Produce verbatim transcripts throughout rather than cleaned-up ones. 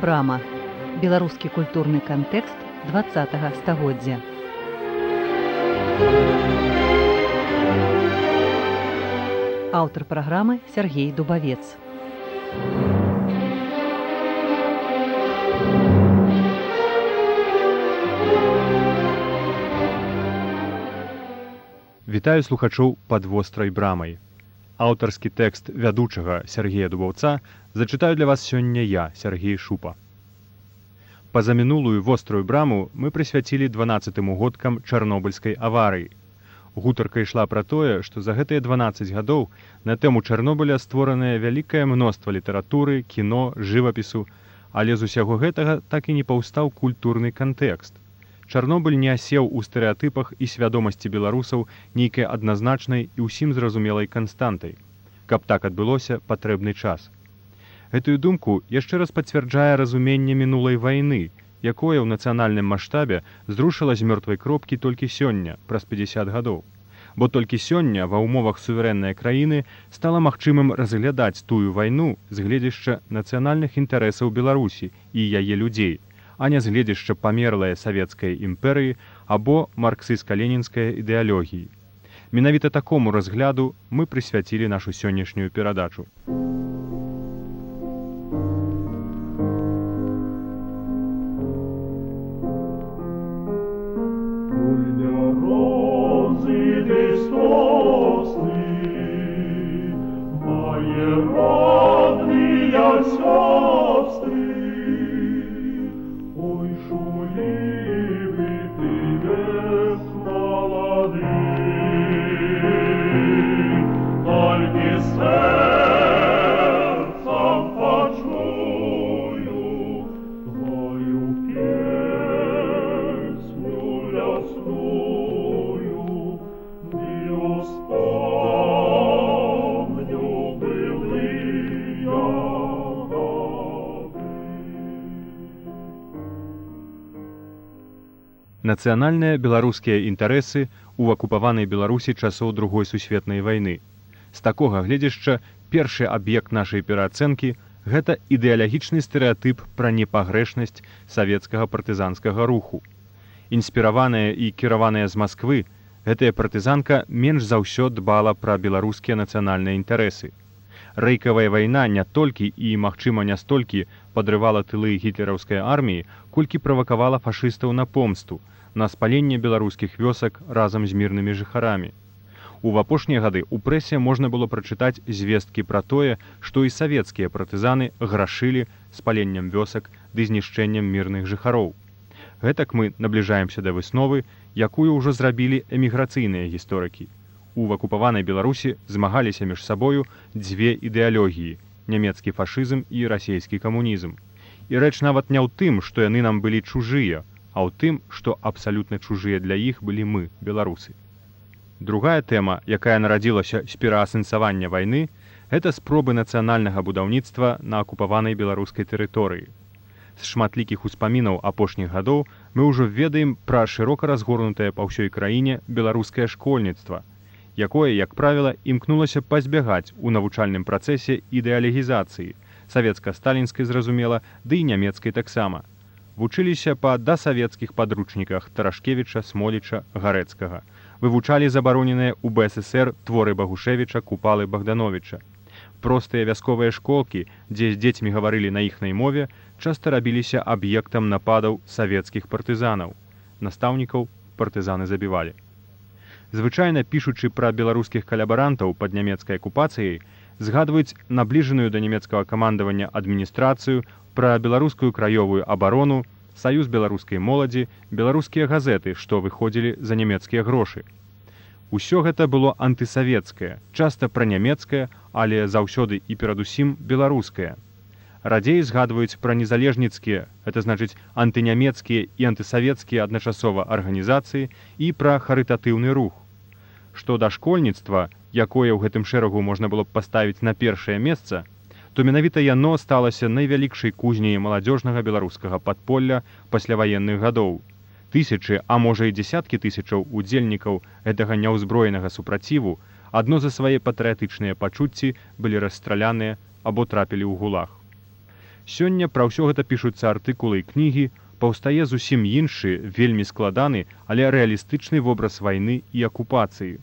Брама. Беларускі культурны кантэкст дваццатага стагоддзя. Аўтар праграмы Сергей Дубавец. Вітаю слухачоў пад вострай брамай. Аўтарскі тэкст вядучага Сергея Дубаўца зачытаю для вас сёння я, Сергей Шупа. Пазамінулую вострую браму мы прысвяцілі дванаццатым угодкам чарнобыльскай аварыі. Гутарка ішла пра тое, што за гэтыя дванаццаць гадоў на тэму Чарнобыля створанае вялікае мноства літаратуры, кіно, жывапісу, але з усяго гэтага так і не паўстаў культурны кантэкст. Чарнобыль не асеў у стэрэатыпах і свядомасці беларусаў нейкай адназначнай і ўсім зразумелай канстантай. Каб так адбылося, патрэбны час. Гэтую думку яшчэ раз пацвярджае разуменне мінулай вайны, якое ў нацыянальным маштабе зрушыла з мёртвай кропкі толькі сёння, праз пяцьдзясят гадоў. Бо толькі сёння ва ўмовах суверэннай краіны стала магчымым разглядаць тую вайну з гледзяшча нацыянальных інтарэсаў Беларусі і яе людзей, а не з гледзяшча памерлае савецкай імперыі або марксістска-ленінскай ідэалогіі. Менавіта такому разгляду мы прысвяцілі нашу сённяшнюю перадачу. Нацыянальныя беларускія інтарэсы ў акупаванай Беларусі часоў другой сусветнай вайны. З такога гледзяшча першы аб'ект нашай пераацэнкі – гэта ідэалагічны стэрэатып пра непагрэшнасць савецкага партызанскага руху. Інспіраваная і кіраваная з Масквы, гэтая партызанка менш за ўсё дбала пра беларускія нацыянальныя інтарэсы. Рэйкавая вайна не толькі і, магчыма, не столькі падрывала тылы гітлераўскай арміі, колькі правакавала фашыстаў на помсту, на спаленне беларускіх вёсак разам з мірнымі жыхарамі. У апошнія гады ў прэсе можна было прачытаць звесткі пра тое, што і савецкія партызаны грашылі спаленнем вёсак ды знішчэннем мірных жыхароў. Гэтак мы набліжаемся да высновы, якую ўжо зрабілі эміграцыйныя гісторыкі. У акупаванай Беларусі змагаліся між сабою дзве ідэалогіі – нямецкі фашызм і расійскі камунізм. І рэч нават не ў тым, што яны нам былі чужыя, а ў тым, што абсалютна чужыя для іх былі мы, беларусы. Другая тэма, якая нарадзілася з пераасэнсавання вайны, гэта спробы нацыянальнага будаўніцтва на акупаванай беларускай тэрыторыі. З шматлікіх успамінаў апошніх гадоў мы ўжо ведаем пра шырока разгорнутае па ўсёй краіне беларускае школьніцтва, якое, як правіла, імкнулася пазбягаць у навучальным працэсе ідэалогізацыі, савецка-сталінскай, зразумела, ды і нямецкай таксама. Вучыліся па дасавецкіх падручніках Тарашкевіча, Смоліча, Гарэцкага. Вывучалі забароненыя ў бэ эс эсэр творы Багушевіча, Купалы, Богдановича. Простыя вясковыя школкі, дзе з дзецьмі гаварылі на іхнай мове, часта рабіліся аб'ектам нападаў савецкіх партызанаў. Настаўнікаў партызаны забівалі. Звычайна, пішучы пра беларускіх калабарантаў пад нямецкай акупацыяй, згадваюць набліжаную да нямецкага камандавання адміністрацыю, пра беларускую краёвую абарону, саюз беларускай моладзі, беларускія газеты, што выходзілі за нямецкія грошы. Усё гэта было антысавецкае, часта пранямецкае, але заўсёды і перадусім беларускае. Радзей згадваюць пра незалежніцкія, гэта значыць антынямецкія і антысавецкія адначасова арганізацыі і пра харытатыўны рух. Што да школьніцтва, якое ў гэтым шэрагу можна было б паставіць на першае месца, то менавіта яно сталася найвялікшай кузняй маладзёжнага беларускага падполля пасляваенных гадоў. Тысячы, а можа і дзесяткі тысячаў удзельнікаў гэтага няўзброенага супраціву адно за свае патрыятычныя пачуцці былі расстраляныя або трапілі ў гулаг. Сёння пра ўсё гэта пішуцца артыкулы і кнігі, паўстае зусім іншы, вельмі складаны, але рэалістычны вобраз вайны і акупацыі.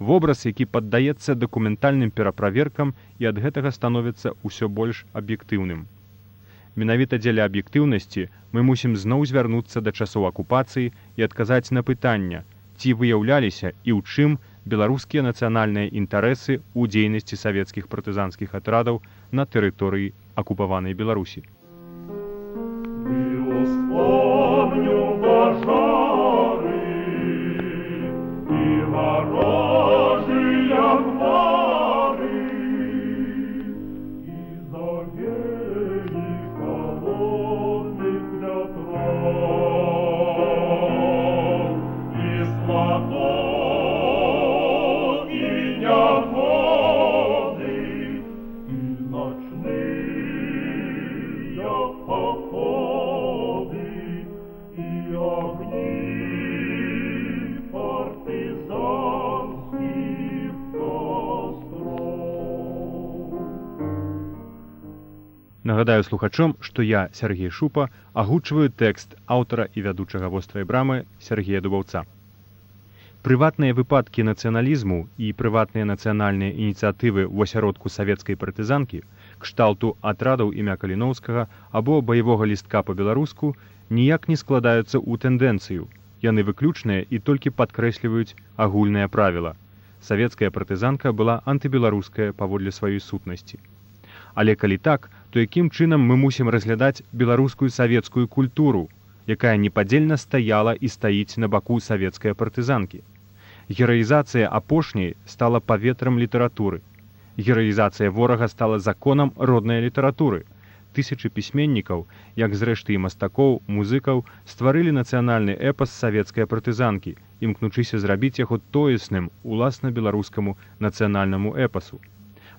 Вобраз, які паддаецца дакументальным пераправеркам і ад гэтага становіцца ўсё больш аб'ектыўным. Менавіта дзеля аб'ектыўнасці мы мусім зноў звярнуцца да часоў акупацыі і адказаць на пытання, ці выяўляліся і ў чым беларускія нацыянальныя інтарэсы ў дзейнасці савецкіх партызанскіх атрадаў на тэрыторыі акупаванай Беларусі. Нагадаю слухачом, што я, Сергей Шупа, агучваю тэкст аўтара і вядучага вострай брамы Сергея Дубаўца. Прыватныя выпадкі нацыяналізму і прыватныя нацыянальныя ініцыятывы ў асяродку савецкай партызанкі, кшталту атрадаў імя Каліноўскага або баявога лістка па-беларуску, ніяк не складаюцца ў тэндэнцыю. Яны выключныя і толькі падкрэсліваюць агульнае правіла. Савецкая партызанка была антыбеларуская паводле сваёй сутнасці. Але калі так, то якім чынам мы мусім разглядаць беларускую савецкую культуру, якая непадзельна стаяла і стаіць на баку савецкай партызанкі? Гераізацыя апошняй стала паветрам літаратуры. Гераізацыя ворага стала законам роднай літаратуры. Тысячы пісьменнікаў, як зрэшты і мастакоў, музыкаў, стварылі нацыянальны эпас савецкай партызанкі, імкнучыся зрабіць яго тоесным уласна беларускаму нацыянальнаму эпасу.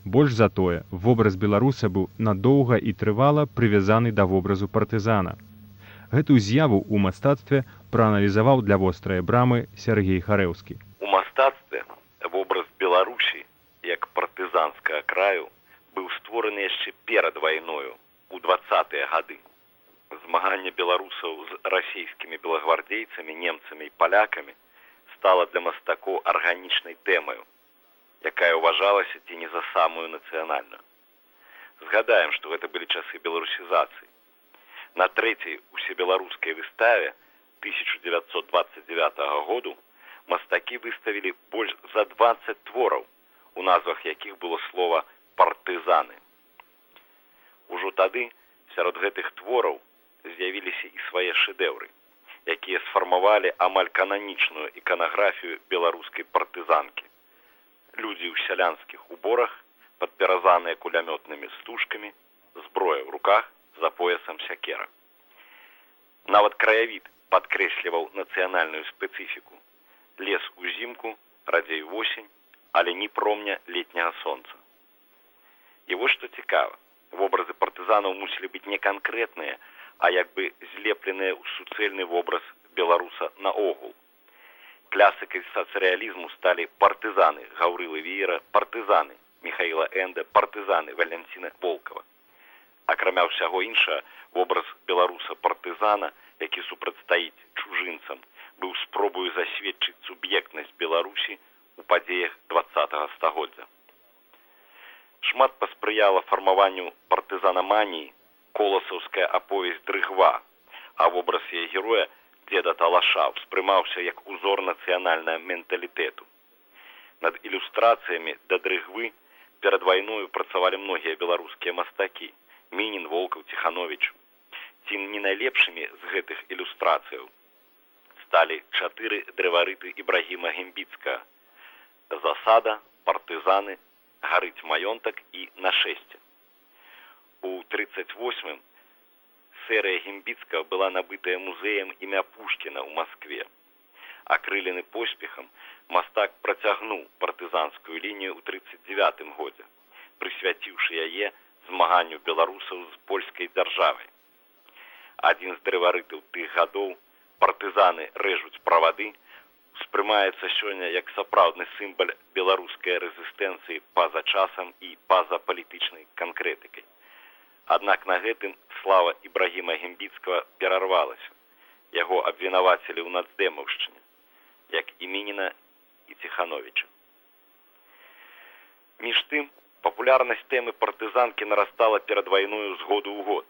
Больш за тое, вобраз беларуса быў надоўга і трывала прывязаны да вобразу партызана. Гэтую з'яву ў мастацтве прааналізаваў для вострай брамы Сергей Харэўскі. У мастацтве вобраз Беларусі як партызанскага краю быў створаны яшчэ перад вайною у дваццатыя гады. Змаганне беларусаў з расійскімі белагвардзейцамі, немцамі і палякамі стала для мастакоў арганічнай тэмаю, якая ўважалася ці не за самую нацыянальную. Згадаем, што гэта былі часы беларусізацыі. На трэцяй усебеларускай выставе тысяча дзевяцьсот дваццаць дзевятага году мастакі выставілі больш за дваццаць твораў, у назвах якіх было слова «партызаны». Ужо тады сярод гэтых твораў з'явіліся і свае шэдэўры, якія сфармавалі амаль кананічную іканаграфію беларускай партызанкі. Людзі ў сялянскіх уборах, падпяразаныя кулямётнымі стужкамі, зброя ў руках, за поясам сякера. Нават краявід падкрэсліваў нацыянальную спецыфіку. Лес узімку, радзей восень, але ні промня летняга сонца. І вось што цікава, вобразы партызанаў мусілі быць не канкрэтныя, а як бы злепленыя ў суцэльны вобраз беларуса наогул. Класыкай сацыялізму сталі партызаны Гаўрылы Веера, партызаны Міхаіла Энда, партызаны Валянціна Волкава. Акрамя ўсяго іншага, вобраз беларуса-партызана, які супрацьстаіць чужынцам, быў спробою засведчыць суб'ектнасць Беларусі ў падзеях дваццатага стагоддзя. Шмат паспрыяла фармаванню партызанаманіі коласаўская аповесць «Дрыгва», а вобраз яе героя дзеда Талаша ўспрымаўся як узор нацыянальнага менталітэту. Над ілюстрацыямі да «Дрыгвы» перад вайною працавалі многія беларускія мастакі – Мінін, Волкаў, Ціхановіч. Ці не найлепшымі з гэтых ілюстрацыяў сталі чатыры дрэварыты Ібрагіма Гембіцкага – «Засада», «Партызаны», «Гарыць маёнтак» і «Нашэсце». У трыццаць восьмым серыя Гембіцкага была набытая музеем імя Пушкіна ў Маскве. Акрылены поспехам, мастак працягнуў партызанскую лінію ў трыццаць дзевятым годзе, прысвяціўшы яе змаганню беларусаў з польскай дзяржавай. Адзін з дрэварытаў тых гадоў «Партызаны рэжуць правады» успрымаецца сёння як сапраўдны сімвал беларускай рэзістэнцыі па-за часам і па-за палітычнай канкрэтыкай. Аднак на гэтым слава Ібрагіма Гімбіцкага перарвалася. Яго абвінавацілі ў нацдэмаўшчыне, як і Мініна і Ціхановіча. Між тым, папулярнасць тэмы партызанкі нарастала перад вайною з году ў год.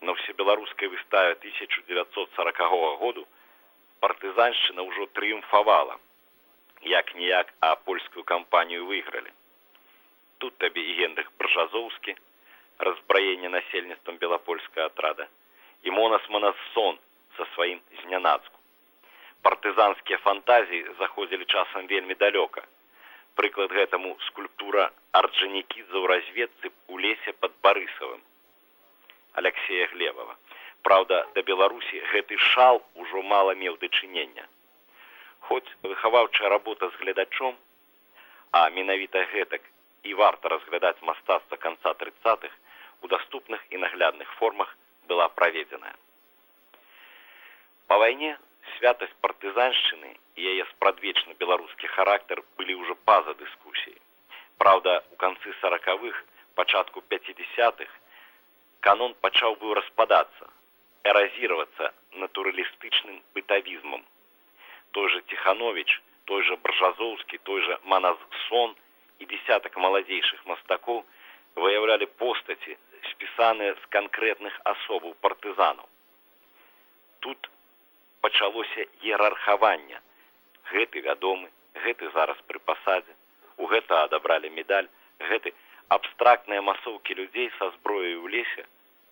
На ўсебеларускай выставе тысяча дзевяцьсот сорокага году партызаншчына ўжо трыумфавала. Як-ніяк, а польскую кампанію выйгралі. Тут табе і Генрых Бржазоўскі, разбраенне насельніцтвам белапольскага атрада, і Монас Манассон са сваім знянацку. Партызанскія фантазіі заходзілі часам вельмі далёка. Прыклад гэтаму скульптура Орджанікідзе ў разведцы ў лесе пад Барысавым Алексея Глебова. Праўда, да Беларусі гэты шал ужо мала меў дачынення. Хоць выхаваўчая работа з гледачом, а менавіта гэтак і варта разглядаць мастацтва канца трыццатых, у даступных і наглядных формах была праведзеная. Па вайне святасць партызаншчыны і яе спрадвечны беларускі характар былі ўжо па-за дыскусіяй. Праўда, у канцы саракавых, пачатку пяцідзясятых канон пачаў быў распадацца, эразіравацца натуралістычным бытавізмам. Той же Ціхановіч, той же Бржазоўскі, той же Манассон і десятак маладзейшых мастакоў выяўлялі постаці, спісаныя з канкрэтных асобаў партызанаў. Тут пачалося іерархаванне. Гэты вядомы, гэты зараз пры пасадзе, у гэта адабралі медаль, гэты абстрактныя масоўкі людзей са зброяй у лесе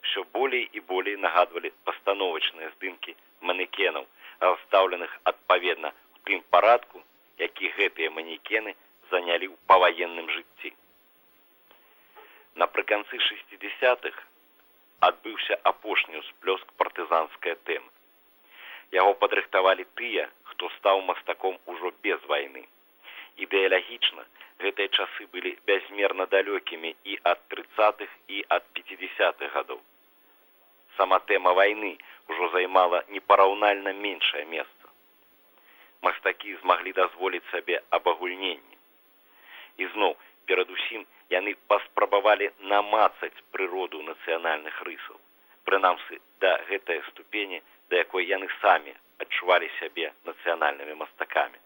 ўсё болей і болей нагадвалі пастановачныя здымкі манекенаў, расстаўленых адпаведна ў тым парадку, які гэтыя манекены занялі ў паваенным жыцці. Напрыканцы шэсцідзясятых адбыўся апошні ўсплёск партызанскай тэмы. Яго падрыхтавалі тыя, хто стаў мастаком ужо без вайны. Ідэалагічна гэтыя часы былі бязмерна далёкімі і ад трыццатых, і ад пяцідзясятых гадоў. Сама тэма вайны ўжо займала непараўнальна меншае месца. Мастакі змаглі дазволіць сабе абагульненне. І зноў, перадусім, яны паспрабавалі намацаць прыроду нацыянальных рысаў, прынамсі да гэтай ступені, да якой яны самі адчувалі сябе нацыянальнымі мастакамі.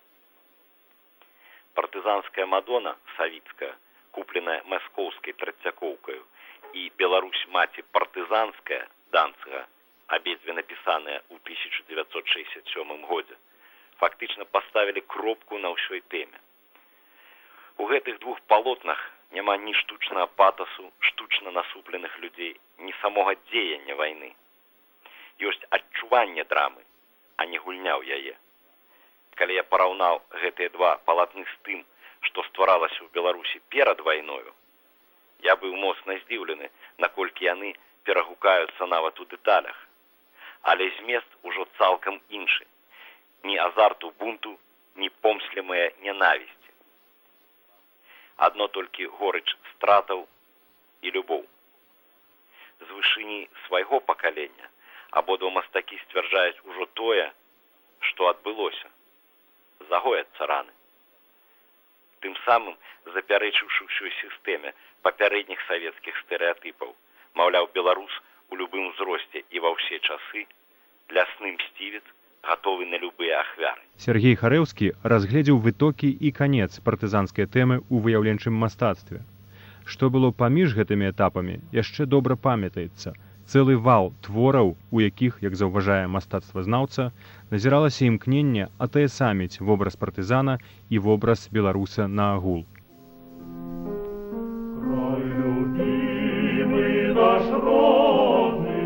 Партызанская Мадона савіцкая, купленая маскоўскай трацякоўкаю, і Беларусь маці партызанская Данцыга, абедзве напісаныя ў тысяча дзевяцьсот шэсцьдзясят сёмым годзе, фактычна паставілі кропку на ўсёй тэме. У гэтых двух палотнах няма ні штучнага патасу, штучна насупленых людзей, ні самога дзеяння вайны. Ёсць адчуванне драмы, а не гульня ў яе. Калі я параўнаў гэтыя два палатны з тым, што стваралася ў Беларусі перад вайною, я быў моцна здзіўлены, наколькі яны перагукаюцца нават у дэталях. Але змест ужо цалкам іншы. Ні азарту бунту, ні помслімая нянавісці. Адно толькі горыч стратаў і любоў. З вышыні свайго пакалення абодва мастакі сцвярджаюць ужо тое, што адбылося. Загояцца раны. Тым самым запярэчыўшы ўсёй сістэме папярэдніх савецкіх стэрэатыпаў, маўляў, беларус у любым узросце і ва ўсе часы, лясны мсцівец, гатовы на любыя ахвяры. Сергей Харэўскі разгледзеў вытокі і канец партызанскай тэмы ў выяўленчым мастацтве. Што было паміж гэтымі этапамі, яшчэ добра памятаецца. Цэлы вал твораў, у якіх, як заўважае мастацтвазнаўца, назіралася імкненне атаясаміць вобраз партызана і вобраз беларуса наагул. Край любимый наш родный,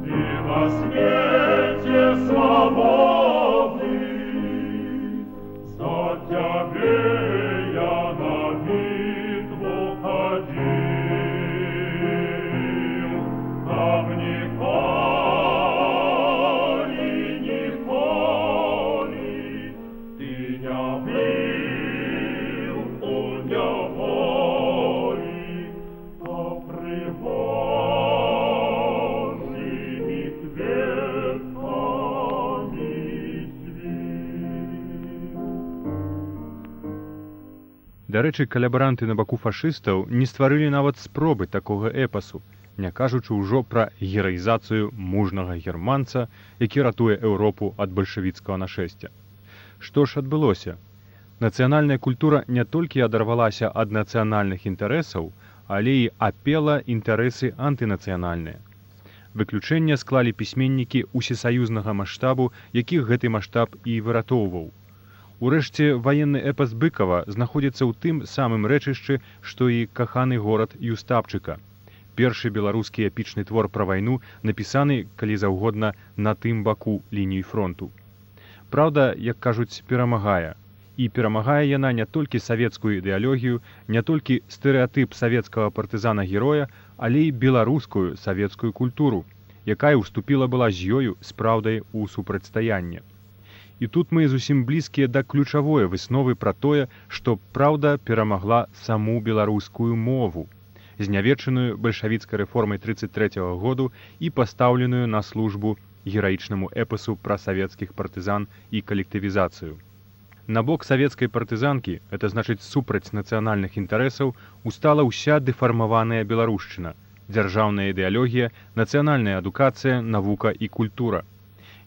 ты на свете свободный, за тебе я на битву ходил. Божьими кветками Дарэчы, калябаранты на баку фашыстаў не стварылі нават спробы такога эпасу, не кажучы ўжо пра гераізацыю мужнага германца, які ратуе Еўропу ад бальшавіцкага нашэсця. Што ж адбылося? Нацыянальная культура не толькі адарвалася ад нацыянальных інтарэсаў, але і апела інтарэсы антынацыянальныя. Выключэнне склалі пісьменнікі усесаюзнага маштабу, якіх гэты маштаб і выратоўваў. Урэшце, ваенны эпас Быкава знаходзіцца ў тым самым рэчышчы, што і каханы горад Юстапчыка. Першы беларускі эпічны твор пра вайну напісаны, калі заўгодна, на тым баку лініі фронту. Праўда, як кажуць, перамагае. І перамагае яна не толькі савецкую ідэалогію, не толькі стэрэатып савецкага партызана-героя, але і беларускую савецкую культуру, якая ўступіла была з ёю з праўдай у супрацьстаянне. І тут мы зусім блізкія да ключавой высновы пра тое, што праўда перамагла саму беларускую мову, знявечаную бальшавіцкай рэформай трыццаць трэцяга году і пастаўленую на службу гераічнаму эпасу пра савецкіх партызан і калектывізацыю. На бок савецкай партызанкі, это значыць супраць нацыянальных інтарэсаў, устала ўся дэфармаваная беларушчына, дзяржаўная ідэалогія, нацыянальная адукацыя, навука і культура.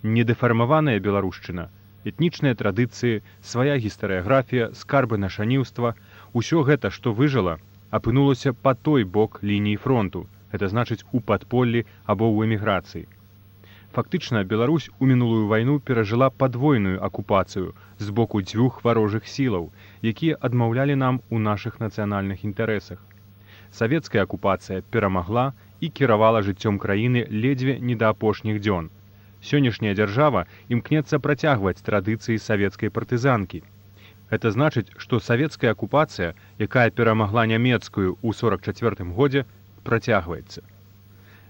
Недэфармаваная беларушчына, этнічныя традыцыі, свая гістарыяграфія, скарбы нашаніўства, усё гэта, што выжыла, апынулася па той бок лініі фронту, это значыць у падполлі або ў эміграцыі. Фактычна, Беларусь у мінулую вайну перажыла падвойную акупацыю з боку дзвюх варожых сілаў, якія адмаўлялі нам у нашых нацыянальных інтарэсах. Савецкая акупацыя перамагла і кіравала жыццём краіны ледзьве не да апошніх дзён. Сённяшняя дзяржава імкнецца працягваць традыцыі савецкай партызанкі. Гэта значыць, што савецкая акупацыя, якая перамагла нямецкую ў сорак чацвёртым годзе, працягваецца.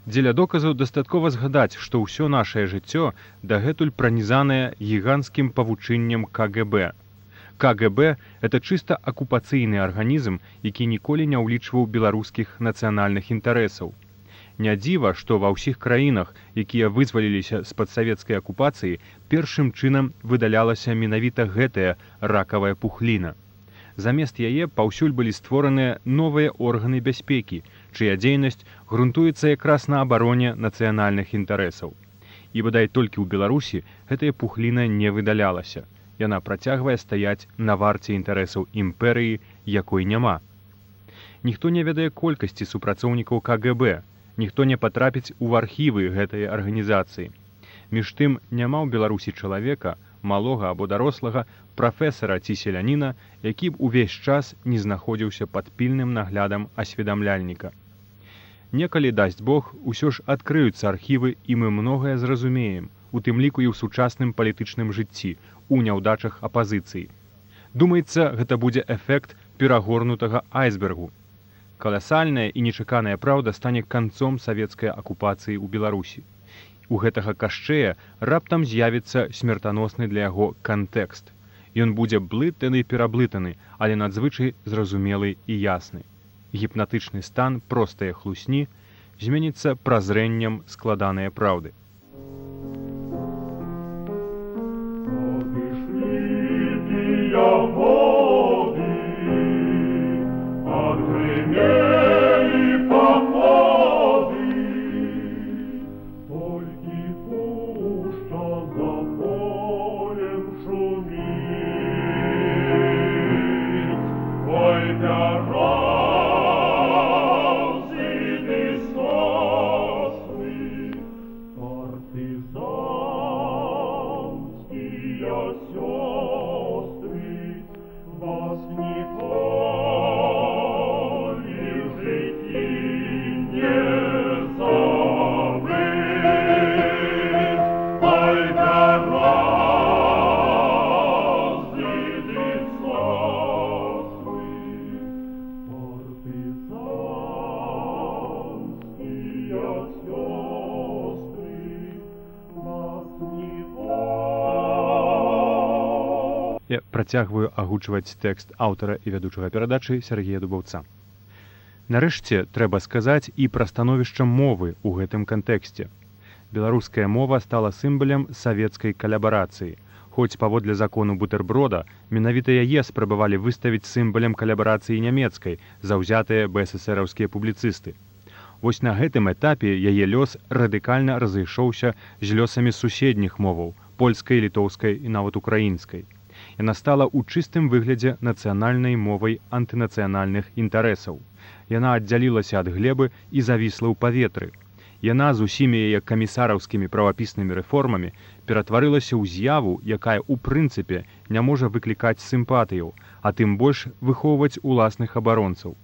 Дзеля доказу дастаткова згадаць, што ўсё нашае жыццё дагэтуль пранізанае гіганцкім павучыннем ка гэ бэ. ка гэ бэ – это чыста акупацыйны арганізм, які ніколі не ўлічваў беларускіх нацыянальных інтарэсаў. Не дзіва, што ва ўсіх краінах, якія вызваліліся з-пад савецкай акупацыі, першым чынам выдалялася менавіта гэтая ракавая пухліна. Замест яе паўсюль былі створаныя новыя органы бяспекі, чыя дзейнасць грунтуецца якраз на абароне нацыянальных інтарэсаў. І бадай толькі ў Беларусі гэтая пухліна не выдалялася. Яна працягвае стаяць на варце інтарэсаў імперыі, якой няма. Ніхто не ведае колькасці супрацоўнікаў ка гэ бэ, ніхто не патрапіць у архівы гэтай арганізацыі. Між тым, няма ў Беларусі чалавека, малога або дарослага, прафесара ці селяніна, які б увесь час не знаходзіўся пад пільным наглядам асведамляльніка. Некалі, дасць Бог, усё ж адкрыюцца архівы, і мы многае зразумеем, у тым ліку і ў сучасным палітычным жыцці, у няўдачах апазіцыі. Думаецца, гэта будзе эфект перагорнутага айсбергу. Каласальная і нечаканая праўда стане канцом савецкай акупацыі ў Беларусі. У гэтага кашчэя раптам з'явіцца смертаносны для яго кантэкст. Ён будзе блытаны і пераблытаны, але надзвычай зразумелы і ясны. Гіпнатычны стан простае хлусні зменіцца празрэннем складаныя праўды. Я працягваю агучваць тэкст аўтара і вядучага перадачы Сяргея Дубаўца. Нарэшце, трэба сказаць і пра становішча мовы ў гэтым кантэксце. Беларуская мова стала сімвалам савецкай калябарацыі. Хоць паводле закону бутэрброда, менавіта яе спрабавалі выставіць сімвалем калабарацыі нямецкай заўзятыя бэсэсэраўскія публіцысты. Вось на гэтым этапе яе лёс радыкальна разышоўся з лёсамі суседніх моваў, польскай, літоўскай і нават украінскай. Яна стала ў чыстым выглядзе нацыянальнай мовай антынацыянальных інтарэсаў. Яна аддзялілася ад глебы і завісла ў паветры. Яна з усімі яе камісараўскімі правапіснымі рэформамі ператварылася ў з'яву, якая ў прынцыпе не можа выклікаць сімпатыяў, а тым больш выхоўваць уласных абаронцаў.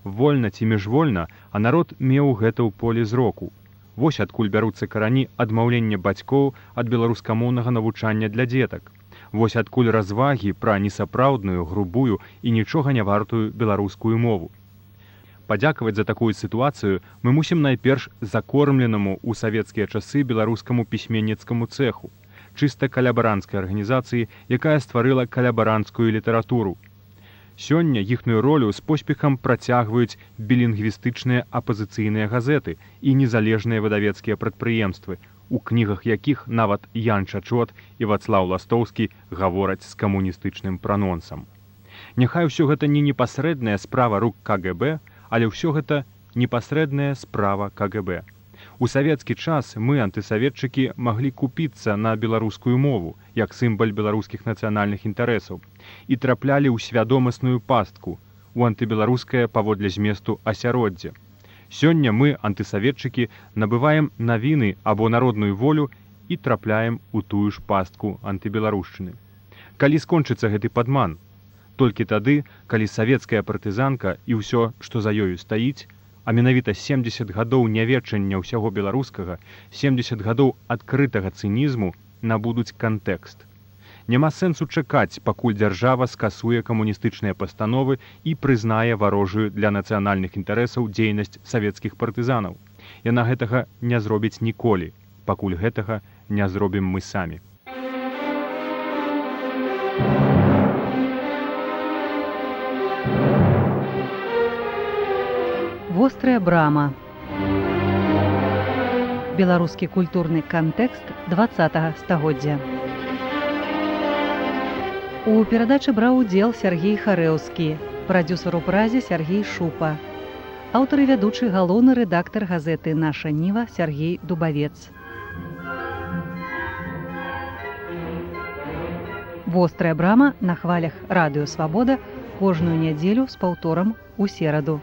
Вольна ці міжвольна, а народ меў гэта ў полі зроку. Вось адкуль бяруцца карані адмаўлення бацькоў ад беларускамоўнага навучання для дзетак. Вось адкуль развагі пра несапраўдную, грубую і нічога не вартую беларускую мову. Падзякаваць за такую сітуацыю мы мусім найперш закормленаму ў савецкія часы беларускаму пісьменніцкаму цэху, чыста калябаранцкай арганізацыі, якая стварыла калябаранцкую літаратуру. Сёння іхную ролю з поспехам працягваюць білінгвістычныя апазіцыйныя газеты і незалежныя выдавецкія прадпрыемствы, у кнігах якіх нават Ян Чачот і Вацлаў Ластоўскі гавораць з камуністычным пранонсам. Няхай усё гэта не непасрэдная справа рук ка гэ бэ, але ўсё гэта непасрэдная справа ка гэ бэ. У савецкі час мы, антысаветчыкі, маглі купіцца на беларускую мову, як сімвал беларускіх нацыянальных інтарэсаў, і траплялі ў свядомасную пастку, у антыбеларускае паводле зместу асяроддзе. Сёння мы, антысаветчыкі, набываем навіны або народную волю і трапляем у тую ж пастку антыбеларушчыны. Калі скончыцца гэты падман? Толькі тады, калі савецкая партызанка і ўсё, што за ёю стаіць, а менавіта семдзесят гадоў няведчання ўсяго беларускага, семдзесят гадоў адкрытага цынізму набудуць кантэкст. Няма сэнсу чакаць, пакуль дзяржава скасуе камуністычныя пастановы і прызнае варожую для нацыянальных інтарэсаў дзейнасць савецкіх партызанаў. Яна гэтага не зробіць ніколі, пакуль гэтага не зробім мы самі. Вострая брама. Беларускі культурны кантэкст дваццатага стагоддзя. У перадачы браў удзел Сяргей Харэўскі, прадзюсар у празе Сяргей Шупа, аўтар і вядучы галоўны рэдактар газеты «Наша Ніва» Сяргей Дубавец. Вострая брама на хвалях радыё Свабода кожную нядзелю з паўторам у сераду.